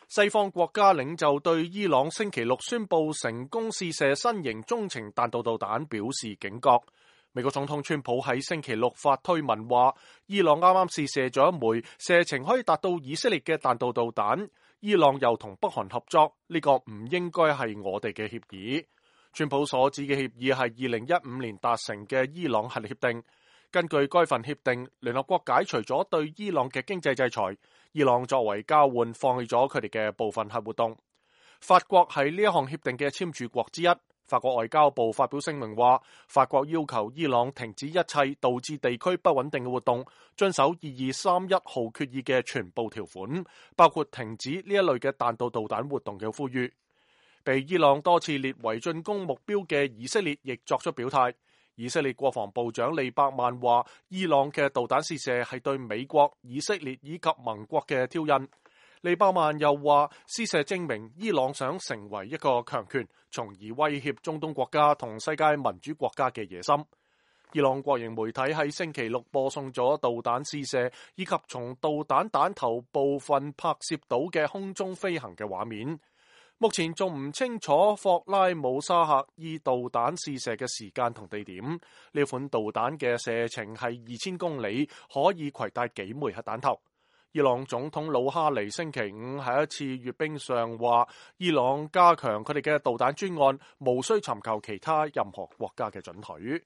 西方國家領袖對伊朗星期六宣布成功試射新型中程彈道導彈表示警覺。美國總統川普喺星期六發推文話，伊朗啱啱試射咗一枚射程可以達到以色列嘅彈道導彈，伊朗又同北韓合作，呢個唔應該係我哋嘅協議。川普所指嘅協議係2015年達成嘅伊朗核協定。根據該份協定，聯合國解除咗對伊朗嘅經濟制裁，伊朗作為交換放棄咗佢哋嘅部分核活動。法國係呢一項協定嘅簽署國之一。法國外交部發表聲明話，法國要求伊朗停止一切導致地區不穩定嘅活動，遵守2231號決議嘅全部條款，包括停止呢一類嘅彈道導彈活動嘅呼籲。被伊朗多次列為進攻目標嘅以色列亦作出表態。以色列國防部長利伯曼話，伊朗嘅導彈試射係對美國、以色列以及盟國嘅挑釁。利伯曼又話，試射證明伊朗想成為一個強權，從而威脅中東國家同世界民主國家嘅野心。伊朗國營媒體喺星期六播送咗導彈試射以及從導彈彈頭部分拍攝到嘅空中飛行嘅畫面。目前仲唔清楚霍拉姆沙赫伊導彈試射嘅時間同地點。呢款導彈嘅射程係2000公里，可以攜帶幾枚核彈頭。伊朗總統魯哈尼星期五喺一次閱兵上話，伊朗加強佢哋嘅導彈專案，無需尋求其他任何國家嘅准許。